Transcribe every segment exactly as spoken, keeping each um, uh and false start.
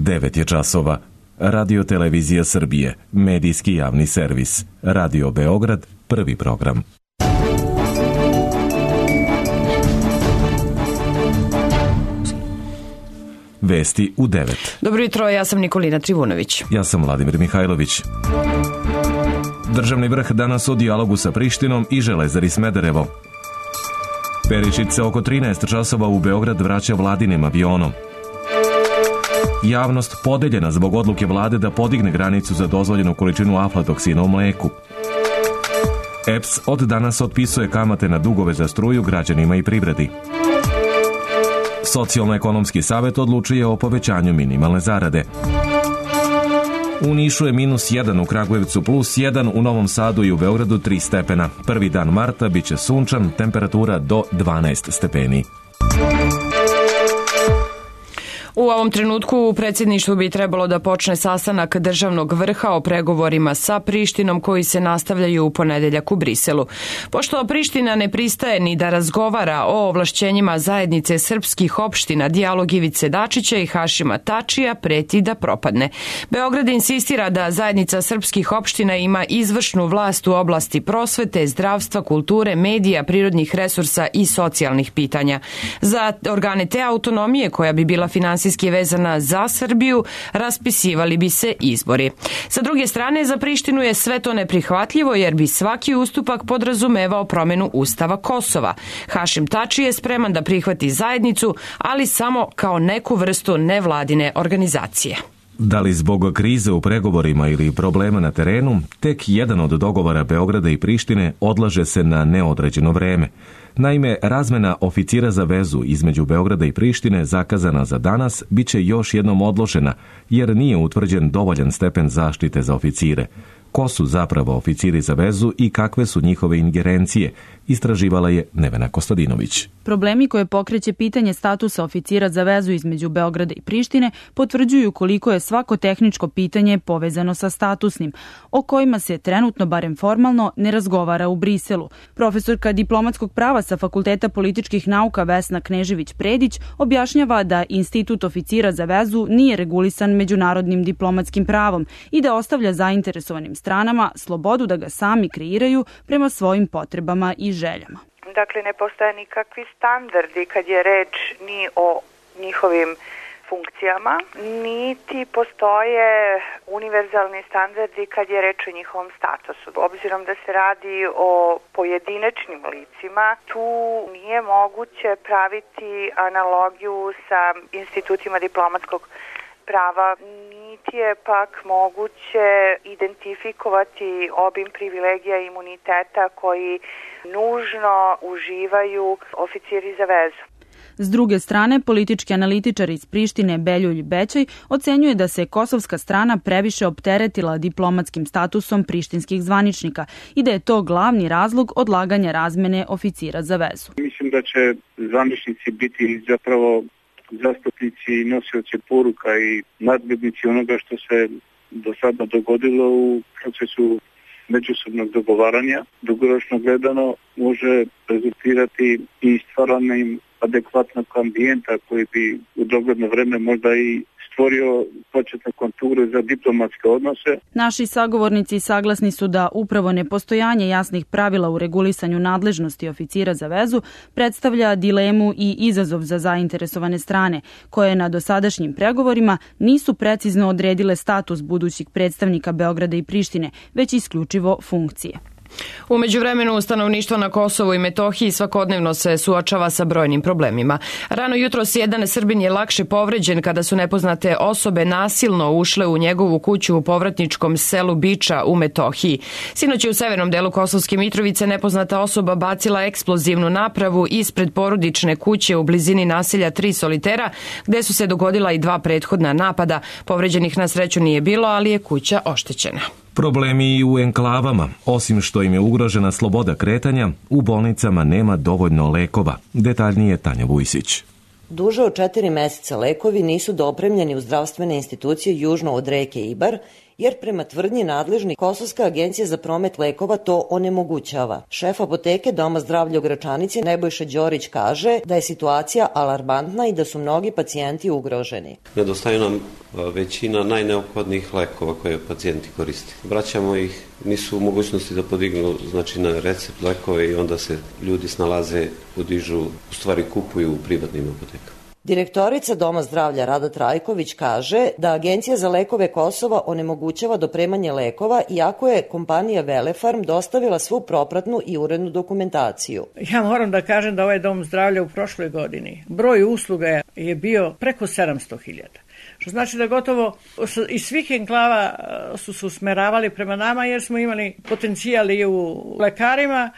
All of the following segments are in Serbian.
devet je časova. Radio Televizija Srbije, medijski javni servis. Radio Beograd, prvi program. Vesti u devet. Dobro jutro, ja sam Nikolina Trivunović. Ja sam Vladimir Mihajlović. Državni vrh danas o dijalogu sa Prištinom i Železari Smederevo. Perišić se oko trinaest časova u Beograd vraća vladinim avionom. Javnost podeljena zbog odluke vlade da podigne granicu za dozvoljenu količinu aflatoksina u mleku. E P S od danas otpisuje kamate na dugove za struju građanima i privredi. Socijalno-ekonomski savet odlučuje o povećanju minimalne zarade. U Nišu je minus jedan, u Kragujevcu plus jedan, u Novom Sadu i u Beogradu tri stepena. Prvi dan marta biće sunčan, temperatura do dvanaest stepeni. U ovom trenutku u predsjedništvu bi trebalo da počne sastanak državnog vrha o pregovorima sa Prištinom koji se nastavljaju u ponedeljak u Briselu. Pošto Priština ne pristaje ni da razgovara o ovlašćenjima zajednice srpskih opština, dijalog Ivice Dačića i Hašima Tačija preti da propadne. Beograd insistira da zajednica srpskih opština ima izvršnu vlast u oblasti prosvete, zdravstva, kulture, medija, prirodnih resursa i socijalnih pitanja. Za organe te autonomije, koja bi bila finansijska vezana za Srbiju, raspisivali bi se izbori. Sa druge strane, za Prištinu je sve to neprihvatljivo jer bi svaki ustupak podrazumevao promenu Ustava Kosova. Hašim Tači je spreman da prihvati zajednicu, ali samo kao neku vrstu nevladine organizacije. Da li zbog krize u pregovorima ili problema na terenu, tek jedan od dogovora Beograda i Prištine odlaže se na neodređeno vreme. Naime, razmena oficira za vezu između Beograda i Prištine zakazana za danas biće još jednom odložena, jer nije utvrđen dovoljan stepen zaštite za oficire. Ko su zapravo oficiri za vezu i kakve su njihove ingerencije, istraživala je Nevena Kostadinović. Problemi koje pokreće pitanje statusa oficira za vezu između Beograda i Prištine potvrđuju koliko je svako tehničko pitanje povezano sa statusnim, o kojima se trenutno, barem formalno, ne razgovara u Briselu. Profesorka diplomatskog prava sa Fakulteta političkih nauka Vesna Knežević-Predić objašnjava da institut oficira za vezu nije regulisan međunarodnim diplomatskim pravom i da ostavlja zainteresovanim stranama slobodu da ga sami kreiraju prema svojim potrebama i željama. Dakle, ne postoje nikakvi standardi kad je reč ni o njihovim funkcijama, niti postoje univerzalni standardi kad je reč o njihovom statusu. Obzirom da se radi o pojedinačnim licima, tu nije moguće praviti analogiju sa institutima diplomatskog prava, niti je pak moguće identifikovati obim privilegija i imuniteta koji nužno uživaju oficiri za vezu. S druge strane, politički analitičar iz Prištine Beljulj Bećaj ocenjuje da se kosovska strana previše opteretila diplomatskim statusom prištinskih zvaničnika i da je to glavni razlog odlaganja razmene oficira za vezu. Mislim da će zvaničnici biti zapravo zastupnici i nosioci poruka i nadglednici onoga što se do sada dogodilo u procesu međusobnog dogovaranja. Dugoročno gledano može rezultirati i stvaranjem adekvatnog ambijenta koji bi u dogledno vreme možda i stvorio početne konture za diplomatske odnose. Naši sagovornici saglasni su da upravo nepostojanje jasnih pravila u regulisanju nadležnosti oficira za vezu predstavlja dilemu i izazov za zainteresovane strane, koje na dosadašnjim pregovorima nisu precizno odredile status budućih predstavnika Beograda i Prištine, već isključivo funkcije. U međuvremenu stanovništvo na Kosovu i Metohiji svakodnevno se suočava sa brojnim problemima. Rano jutros jedan Srbin je lakše povređen kada su nepoznate osobe nasilno ušle u njegovu kuću u povratničkom selu Biča u Metohiji. Sinoć je u severnom delu Kosovske Mitrovice nepoznata osoba bacila eksplozivnu napravu ispred porodične kuće u blizini naselja Tri Solitera, gde su se dogodila i dva prethodna napada. Povređenih na sreću nije bilo, ali je kuća oštećena. Problemi i u enklavama. Osim što im je ugrožena sloboda kretanja, u bolnicama nema dovoljno lekova. Detaljnije Tanja Vujsić. Duže od četiri meseca lekovi nisu dopremljeni u zdravstvene institucije južno od reke Ibar jer prema tvrdnji nadležni Kosovska agencija za promet lekova to onemogućava. Šef apoteke Doma zdravlja u Gračanici Nebojša Đorić kaže da je situacija alarmantna i da su mnogi pacijenti ugroženi. Nedostaju nam većina najneophodnijih lekova koje pacijenti koriste. Vraćamo ih, nisu u mogućnosti da podignu znači, na recept lekove i onda se ljudi snalaze, podižu, u stvari kupuju u privatnim apotekama. Direktorica Doma zdravlja Rada Trajković kaže da Agencija za lekove Kosova onemogućava dopremanje lekova iako je kompanija Velefarm dostavila svu propratnu i urednu dokumentaciju. Ja moram da kažem da ovaj Dom zdravlja u prošloj godini broj usluga je bio preko sedamsto hiljada. Što znači da gotovo iz svih enklava su se usmeravali prema nama jer smo imali potencijal i u lekarima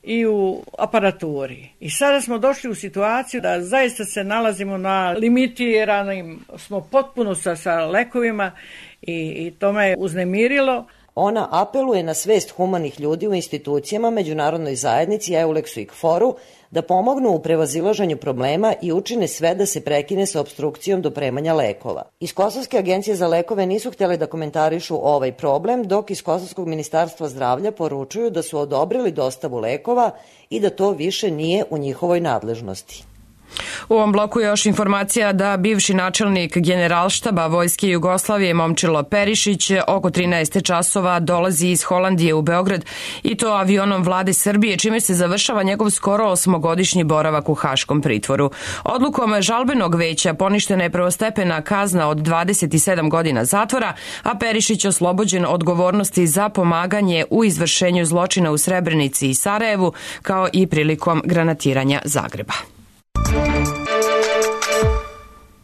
i u aparaturi. I sada smo došli u situaciju da zaista se nalazimo na limitiranim, smo potpuno sa, sa lekovima i, i to me je uznemirilo. Ona apeluje na svest humanih ljudi u institucijama, međunarodnoj zajednici, Euleksu i Kforu da pomognu u prevazilaženju problema i učine sve da se prekine sa opstrukcijom dopremanja lekova. Iz Kosovske agencije za lekove nisu htjeli da komentarišu ovaj problem, dok iz Kosovskog ministarstva zdravlja poručuju da su odobrili dostavu lekova i da to više nije u njihovoj nadležnosti. U ovom bloku je još informacija da bivši načelnik Generalštaba Vojske Jugoslavije Momčilo Perišić oko trinaest časova dolazi iz Holandije u Beograd i to avionom vlade Srbije, čime se završava njegov skoro osmogodišnji boravak u Haškom pritvoru. Odlukom žalbenog veća poništena je prvostepena kazna od dvadeset sedam godina zatvora, a Perišić oslobođen odgovornosti za pomaganje u izvršenju zločina u Srebrenici i Sarajevu, kao i prilikom granatiranja Zagreba.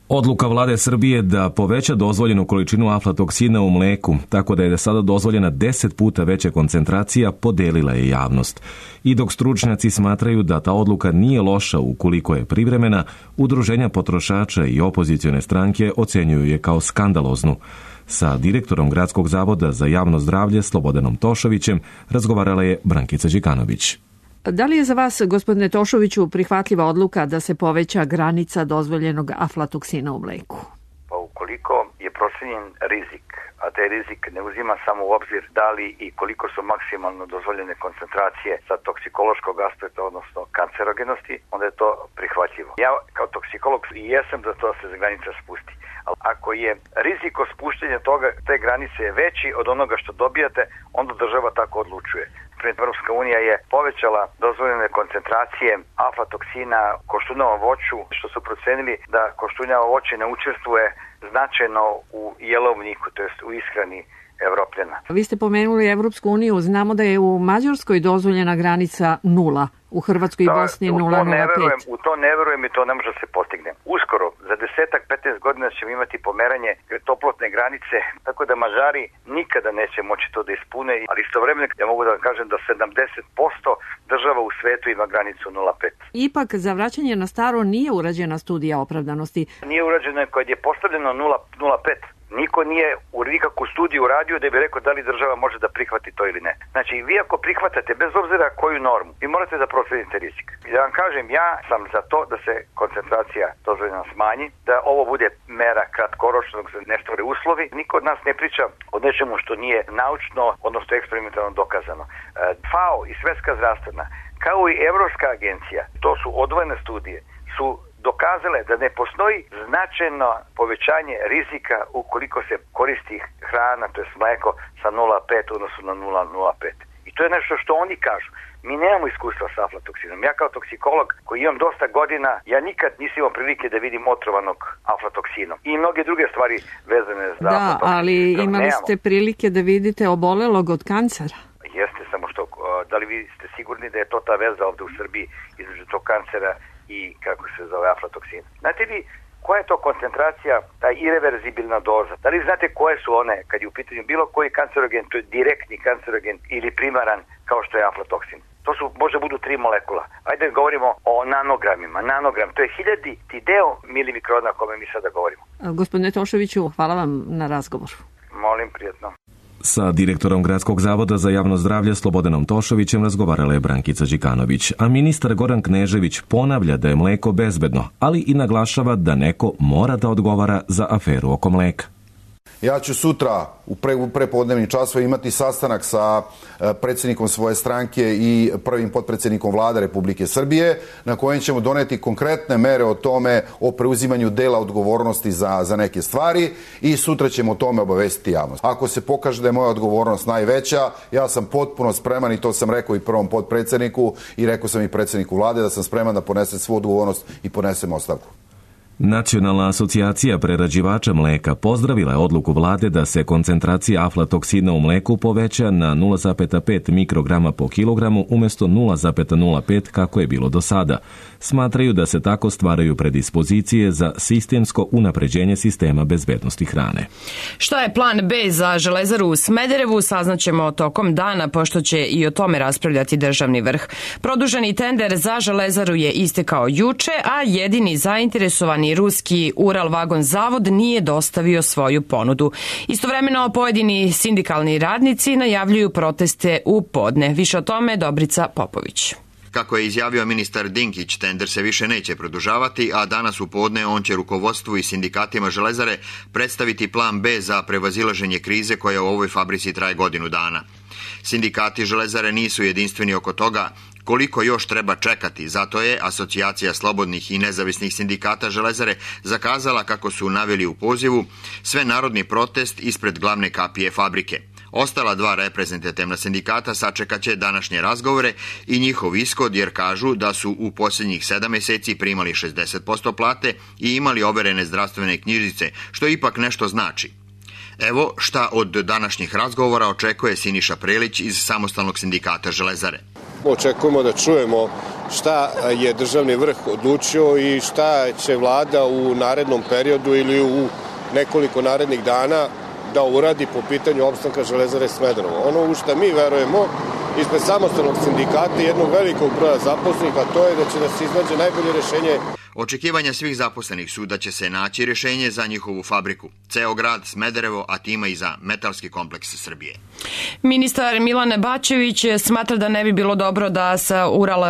Odluka vlade Srbije da poveća dozvoljenu količinu aflatoksina u mleku, tako da je sada dozvoljena deset puta veća koncentracija, podelila je javnost. I dok stručnjaci smatraju da ta odluka nije loša ukoliko je privremena, udruženja potrošača i opozicione stranke ocenjuju je kao skandaloznu. Sa direktorom Gradskog zavoda za javno zdravlje Slobodanom Tošovićem razgovarala je Brankica Đikanović. Da li je za vas, gospodine Tošoviću, prihvatljiva odluka da se poveća granica dozvoljenog aflatoksina u mleku? Pa ukoliko je procenjen rizik, a taj rizik ne uzima samo u obzir da li i koliko su maksimalno dozvoljene koncentracije sa toksikološkog aspekta, odnosno kancerogenosti, onda je to prihvatljivo. Ja kao toksikolog i jesam za to da se granica spusti. Ali ako je riziko spuštenja toga, te granice je veći od onoga što dobijate, onda država tako odlučuje. Europska unija je povećala dozvoljene koncentracije aflatoksina koštunijavom voću, što su procenili da koštunjavo voće ne učestvuje značajno u jelovniku, to jest u ishrani Evropljana. Vi ste pomenuli Evropsku uniju, znamo da je u Mađarskoj dozvoljena granica nula, u Hrvatskoj i Bosni nula zarez nula pet. U to ne verujem i to ne može se postigne. Uskoro, za desetak, petnaest godina ćemo imati pomeranje toplotne granice, tako da Mađari nikada neće moći to da ispune, ali istovremeno ja mogu da kažem da sedamdeset posto država u svetu ima granicu nula zarez pet. Ipak za vraćanje na staro nije urađena studija opravdanosti. Nije urađena kad je postavljeno nula zarez pet. Niko nije u nikakvu studiju uradio da bi rekao da li država može da prihvati to ili ne. Znači, vi ako prihvatate, bez obzira koju normu, vi morate da procenite rizik. Da vam kažem, ja sam za to da se koncentracija dozvoljena smanji, da ovo bude mera kratkoročnog za ne stvore uslovi. Niko od nas ne priča o nečemu što nije naučno, odnosno eksperimentalno dokazano. FAO i Svetska zdravstvena, kao i Evropska agencija, to su odvojene studije, su dokazale da ne postoji značajno povećanje rizika ukoliko se koristi hrana, to je mleko, sa nula zarez pet odnosno na nula zarez nula pet. I to je nešto što oni kažu. Mi nemamo iskustva sa aflatoksinom. Ja kao toksikolog koji imam dosta godina, ja nikad nisam imao prilike da vidim otrovanog aflatoksinom. I mnoge druge stvari vezane za da, aflatoksin. Da, ali imali nemamo. Ste prilike da vidite obolelog od kancera? Jeste, samo što, da li vi ste sigurni da je to ta veza ovde u Srbiji između tog kancera i kako se zove aflatoksin. Znate vi koja je to koncentracija, ta irreverzibilna doza? Da li znate koje su one kad je u pitanju bilo koji kancerogen, to je direktni kancerogen ili primaran kao što je aflatoksin? To su, može budu tri molekula. Ajde da govorimo o nanogramima. Nanogram, to je hiljaditi deo milimikrona o kome mi sada govorimo. Gospodine Tošoviću, hvala vam na razgovoru. Molim, prijatno. Sa direktorom Gradskog zavoda za javno zdravlje Slobodanom Tošovićem razgovarala je Brankica Đikanović, a ministar Goran Knežević ponavlja da je mleko bezbedno, ali i naglašava da neko mora da odgovara za aferu oko mleka. Ja ću sutra u prepodnevnim časovima imati sastanak sa predsjednikom svoje stranke i prvim potpredsjednikom Vlade Republike Srbije, na kojem ćemo doneti konkretne mere o tome, o preuzimanju dela odgovornosti za, za neke stvari i sutra ćemo o tome obavestiti javnost. Ako se pokaže da je moja odgovornost najveća, ja sam potpuno spreman i to sam rekao i prvom potpredsjedniku i rekao sam i predsjedniku Vlade da sam spreman da ponesem svu odgovornost i ponesem ostavku. Nacionalna asocijacija prerađivača mleka pozdravila je odluku vlade da se koncentracija aflatoksina u mleku poveća na nula zarez pet mikrograma po kilogramu umjesto nula zarez nula pet kako je bilo do sada. Smatraju da se tako stvaraju predispozicije za sistemsko unapređenje sistema bezbednosti hrane. Šta je plan B za Železaru u Smederevu saznaćemo tokom dana, pošto će i o tome raspravljati državni vrh. Produženi tender za Železaru je istekao juče, a jedini zainteresovani ruski Ural Vagon Zavod nije dostavio svoju ponudu. Istovremeno pojedini sindikalni radnici najavljuju proteste u podne. Više o tome Dobrica Popović. Kako je izjavio ministar Dinkić, tender se više neće produžavati, a danas u podne on će rukovodstvu i sindikatima Železare predstaviti plan B za prevazilaženje krize koja u ovoj fabrici traje godinu dana. Sindikati Železare nisu jedinstveni oko toga koliko još treba čekati, zato je Asocijacija slobodnih i nezavisnih sindikata Železare zakazala, kako su naveli u pozivu, svenarodni protest ispred glavne kapije fabrike. Ostala dva reprezentativna sindikata sačekaće današnje razgovore i njihov ishod, jer kažu da su u posljednjih sedam mjeseci primali šezdeset posto plate i imali overene zdravstvene knjižice, što ipak nešto znači. Evo šta od današnjih razgovora očekuje Siniša Prelić iz Samostalnog sindikata Železare. Očekujemo da čujemo šta je državni vrh odlučio i šta će vlada u narednom periodu ili u nekoliko narednih dana da uradi po pitanju opstanka Železare Smederevo. Ono u što mi verujemo ispred Samostalnog sindikata i jednog velikog broja zaposlenih, a to je da će da se iznađe najbolje rješenje. Očekivanja svih zaposlenih su da će se naći rješenje za njihovu fabriku, ceo grad Smederevo, a time i za metalski kompleks Srbije. Ministar Milan Bačević smatra da ne bi bilo dobro da sa Ural,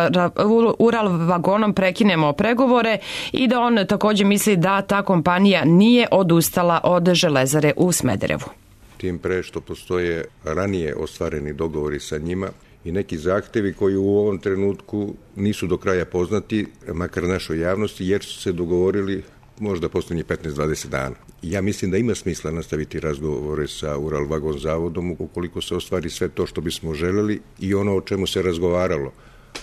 Ural vagonom prekinemo pregovore i da on također misli da ta kompanija nije odustala od Železare u Smederevu. Tim pre što postoje ranije ostvareni dogovori sa njima i neki zahtevi koji u ovom trenutku nisu do kraja poznati, makar našoj javnosti, jer su se dogovorili možda posljednjih petnaest do dvadeset dana. Ja mislim da ima smisla nastaviti razgovore sa Ural Vagon Zavodom ukoliko se ostvari sve to što bismo želeli i ono o čemu se razgovaralo.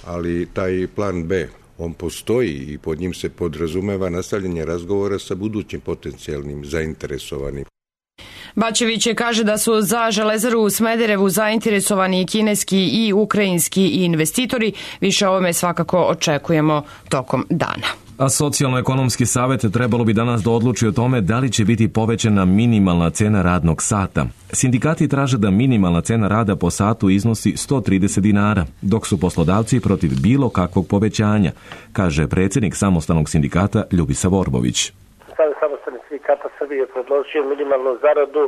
Ali taj plan B, on postoji i pod njim se podrazumeva nastavljanje razgovora sa budućim potencijalnim zainteresovanim. Bačević kaže da su za Železaru u Smederevu zainteresovani kineski i ukrajinski investitori. Više o ovome svakako očekujemo tokom dana. A Socijalno-ekonomski savjet trebalo bi danas da odluči o tome da li će biti povećana minimalna cena radnog sata. Sindikati traže da minimalna cena rada po satu iznosi sto trideset dinara, dok su poslodavci protiv bilo kakvog povećanja, kaže predsjednik Samostalnog sindikata Ljubisa Vorbović. Samostalni sindikata Srbije je predložio minimalnu zaradu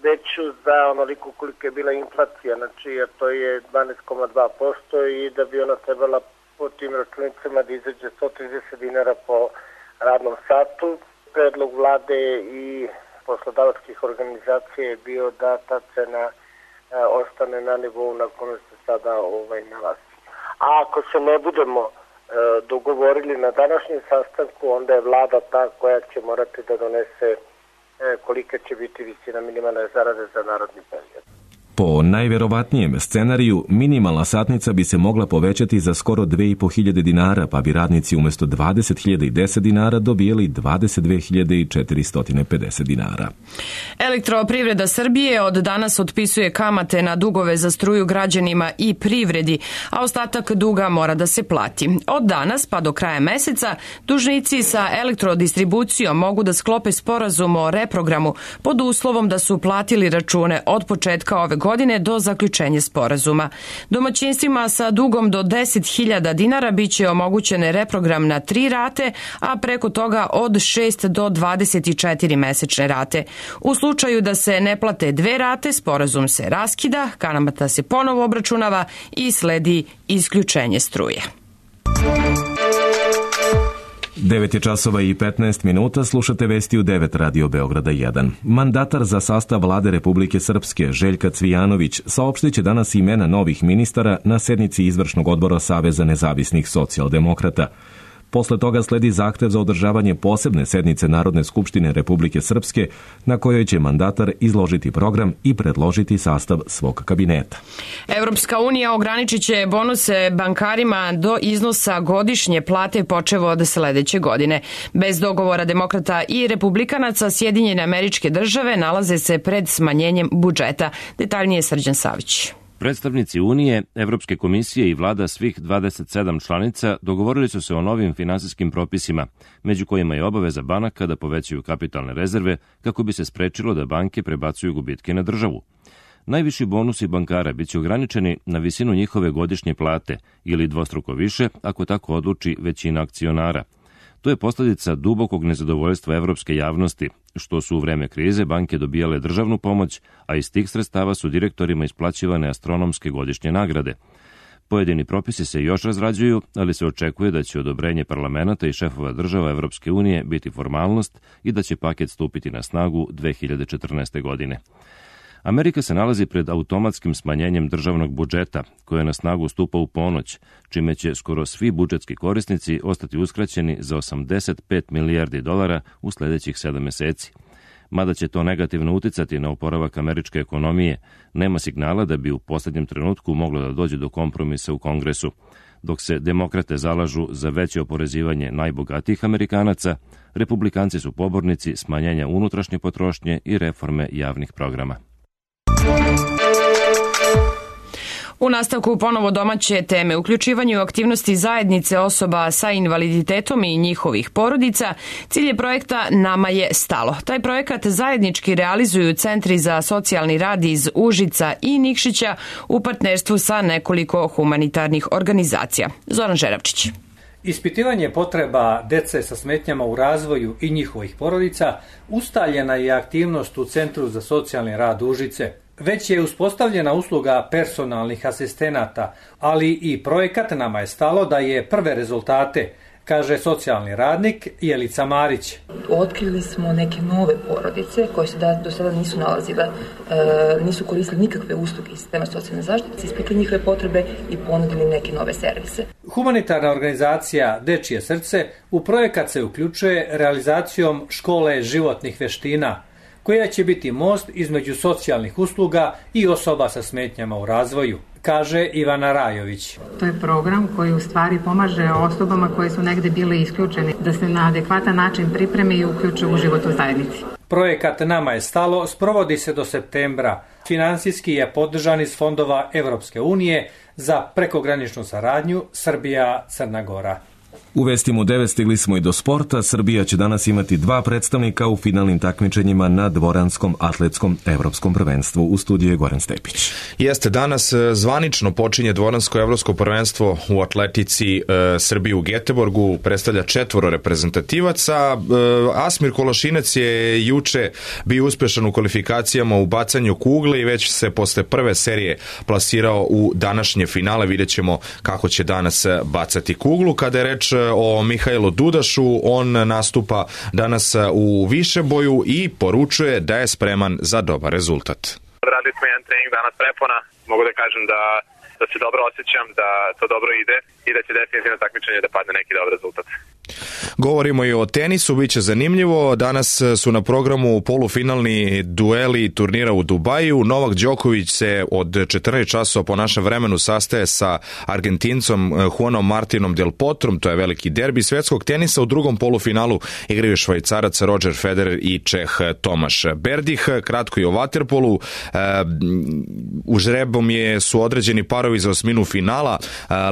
veću za onoliko koliko je bila inflacija, znači jer to je dvanaest zarez dva posto i da bi ona trebala po tim računicama da izađe sto trideset dinara po radnom satu. Predlog vlade i poslodavačkih organizacija je bio da ta cena e, ostane na nivou na kome se sada ovaj, nalazi. A ako se ne budemo e, dogovorili na današnjem sastanku, onda je vlada ta koja će morati da donese e, kolika će biti visina minimalne zarade za narodni period. Po najverovatnijem scenariju, minimalna satnica bi se mogla povećati za skoro dve i po hiljade dinara, pa bi radnici umjesto dvadeset hiljada deset dinara dobijeli dvadeset dve hiljade četiristo pedeset dinara. Elektroprivreda Srbije od danas otpisuje kamate na dugove za struju građanima i privredi, a ostatak duga mora da se plati. Od danas pa do kraja meseca dužnici sa elektrodistribucijom mogu da sklope sporazum o reprogramu pod uslovom da su platili račune od početka ove godine godine do zaključenja sporazuma. Domaćinstvima sa dugom do deset hiljada dinara biće omogućene reprogram na tri rate, a preko toga od šest do dvadeset četiri mesečne rate. U slučaju da se ne plate dve rate, sporazum se raskida, kamata se ponovo obračunava i sledi isključenje struje. devet je časova i petnaest minuta, slušate vesti u devet Radio Beograda jedan. Mandatar za sastav Vlade Republike Srpske, Željka Cvijanović, saopštit će danas imena novih ministara na sednici Izvršnog odbora Saveza nezavisnih socijaldemokrata. Posle toga sledi zahtev za održavanje posebne sednice Narodne skupštine Republike Srpske, na kojoj će mandatar izložiti program i predložiti sastav svog kabineta. Evropska unija ograničit će bonuse bankarima do iznosa godišnje plate počevo od sledeće godine. Bez dogovora demokrata i republikanaca, Sjedinjene Američke Države nalaze se pred smanjenjem budžeta. Detaljnije Srđan Savić. Predstavnici Unije, Evropske komisije i vlada svih dvadeset sedam članica dogovorili su se o novim finansijskim propisima, među kojima je obaveza banaka da povećaju kapitalne rezerve kako bi se sprečilo da banke prebacuju gubitke na državu. Najviši bonusi bankara biće ograničeni na visinu njihove godišnje plate ili dvostruko više ako tako odluči većina akcionara. To je posljedica dubokog nezadovoljstva evropske javnosti, što su u vreme krize banke dobijale državnu pomoć, a iz tih sredstava su direktorima isplaćivane astronomske godišnje nagrade. Pojedini propisi se još razrađuju, ali se očekuje da će odobrenje parlamenta i šefova država Evropske unije biti formalnost i da će paket stupiti na snagu dve hiljade četrnaeste. godine. Amerika se nalazi pred automatskim smanjenjem državnog budžeta, koje na snagu stupa u ponoć, čime će skoro svi budžetski korisnici ostati uskraćeni za osamdeset pet milijardi dolara u sledećih sedam meseci. Mada će to negativno uticati na oporavak američke ekonomije, nema signala da bi u posljednjem trenutku moglo da dođe do kompromisa u Kongresu. Dok se demokrate zalažu za veće oporezivanje najbogatijih Amerikanaca, republikanci su pobornici smanjenja unutrašnje potrošnje i reforme javnih programa. U nastavku ponovo domaće teme, uključivanje u aktivnosti zajednice osoba sa invaliditetom i njihovih porodica, cilj je projekta Nama je stalo. Taj projekat zajednički realizuju centri za socijalni rad iz Užica i Nikšića u partnerstvu sa nekoliko humanitarnih organizacija. Zoran Žeravčić. Ispitivanje potreba dece sa smetnjama u razvoju i njihovih porodica ustaljena je aktivnost u Centru za socijalni rad Užice. Već je uspostavljena usluga personalnih asistenata, ali i projekat Nama je stalo da je prve rezultate, kaže socijalni radnik Jelica Marić. Otkrili smo neke nove porodice koje se do sada nisu nalazile, nisu koristili nikakve usluge iz sistema socijalne zaštite, ispitali njihove potrebe i ponudili neke nove servise. Humanitarna organizacija Dečije srce u projekat se uključuje realizacijom škole životnih veština, koja će biti most između socijalnih usluga i osoba sa smetnjama u razvoju, kaže Ivana Rajović. To je program koji u stvari pomaže osobama koje su negde bile isključene da se na adekvatan način pripreme i uključe u život u zajednici. Projekat Nama je stalo sprovodi se do septembra. Finansijski je podržan iz fondova Evropske unije za prekograničnu saradnju Srbija-Crna Gora. U vestima u devet stigli smo i do sporta. Srbija će danas imati dva predstavnika u finalnim takmičenjima na dvoranskom atletskom evropskom prvenstvu. U studiju je Goran Stepić. Jeste, danas zvanično počinje dvoransko evropsko prvenstvo u atletici e, Srbije u Geteborgu. Predstavlja četvoro reprezentativaca. E, Asmir Kolašinac je juče bio uspešan u kvalifikacijama u bacanju kugle i već se posle prve serije plasirao u današnje finale. Vidjet ćemo kako će danas bacati kuglu. Kada je reč o Mihajlu Dudašu, on nastupa danas u višeboju i poručuje da je spreman za dobar rezultat. Radili smo jedan trening danas prepona, mogu da kažem da, da se dobro osjećam, da to dobro ide i da će definitivno takmičenje da padne neki dobar rezultat. Govorimo i o tenisu, bit će zanimljivo. Danas su na programu polufinalni dueli turnira u Dubaju. Novak Đoković se od četrnaest časova po našem vremenu sastaje sa Argentincom Juanom Martinom Del Potrom. To je veliki derbi svetskog tenisa. U drugom polufinalu igraju Švajcarac Roger Federer i Čeh Tomaš Berdih. Kratko i o vaterpolu. U žrebom je, su određeni parovi za osminu finala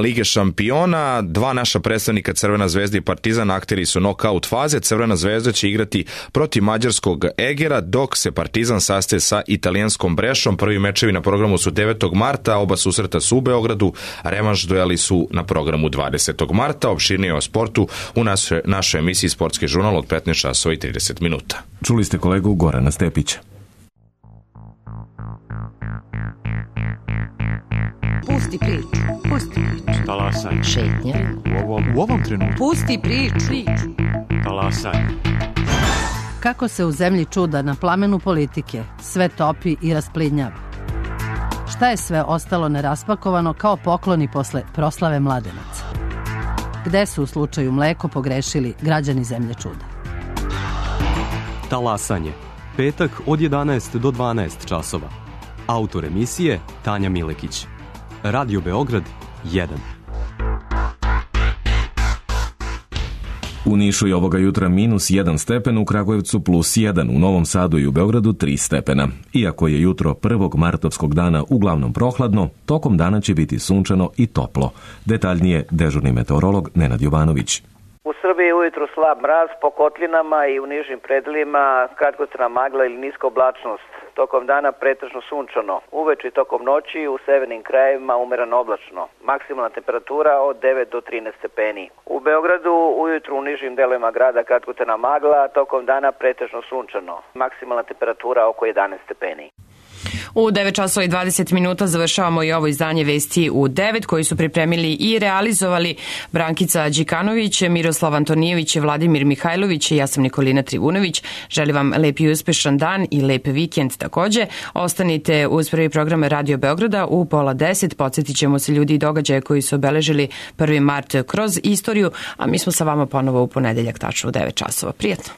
Lige šampiona. Dva naša predstavnika Crvena zvezda i Partizan akteri su nokaut faze. Crvena zvezda će igrati protiv mađarskog Egera, dok se Partizan sastaje sa italijanskom Brešom. Prvi mečevi na programu su devetog marta, oba susreta su u Beogradu, a revanš dueli su na programu dvadesetog marta. Opširnije o sportu u našoj, našoj emisiji Sportski žurnal od petnaest časova i trideset minuta. Čuli ste kolegu Gorana Stepića. Pusti priču. Pusti priču. Talasaj. Šetnja. U ovom, u ovom trenutku. Pusti priču. priču. Talasaj. Kako se u zemlji čuda na plamenu politike sve topi i rasplidnjava? Šta je sve ostalo neraspakovano kao pokloni posle proslave Mladenaca? Gde su u slučaju Mleko pogrešili građani zemlje čuda? Talasanje. Petak od jedanaest do dvanaest časova. Autor emisije Tanja Milekić. Radio Beograd jedan. U Nišu je ovoga jutra minus jedan stepen, u Kragujevcu plus jedan, u Novom Sadu i u Beogradu tri stepena. Iako je jutro prvog martovskog dana uglavnom prohladno, tokom dana će biti sunčano i toplo. Detaljnije dežurni meteorolog Nenad Jovanović. U Srbiji je ujutru slab mraz, po kotlinama i u nižim predelima kratkotrajna magla ili niska oblačnost. Tokom dana pretežno sunčano. Uveče i tokom noći u severnim krajevima umereno oblačno. Maksimalna temperatura od devet do trinaest stepeni. U Beogradu ujutru u nižim delovima grada kratkotrajna magla, tokom dana pretežno sunčano. Maksimalna temperatura oko jedanaest stepeni. U devet časova i dvadeset minuta završavamo i ovo izdanje Vesti u devet, koji su pripremili i realizovali Brankica Đikanović, Miroslav Antonijević, Vladimir Mihajlović i ja sam Nikolina Trivunović. Želim vam lep i uspešan dan i lep vikend takođe. Ostanite uz prvi program Radio Beograda u pola deset. Podsjetit ćemo se ljudi i događaje koji su obeležili prvi mart kroz istoriju, a mi smo sa vama ponovo u ponedeljak tačno u devet časova. Prijetno!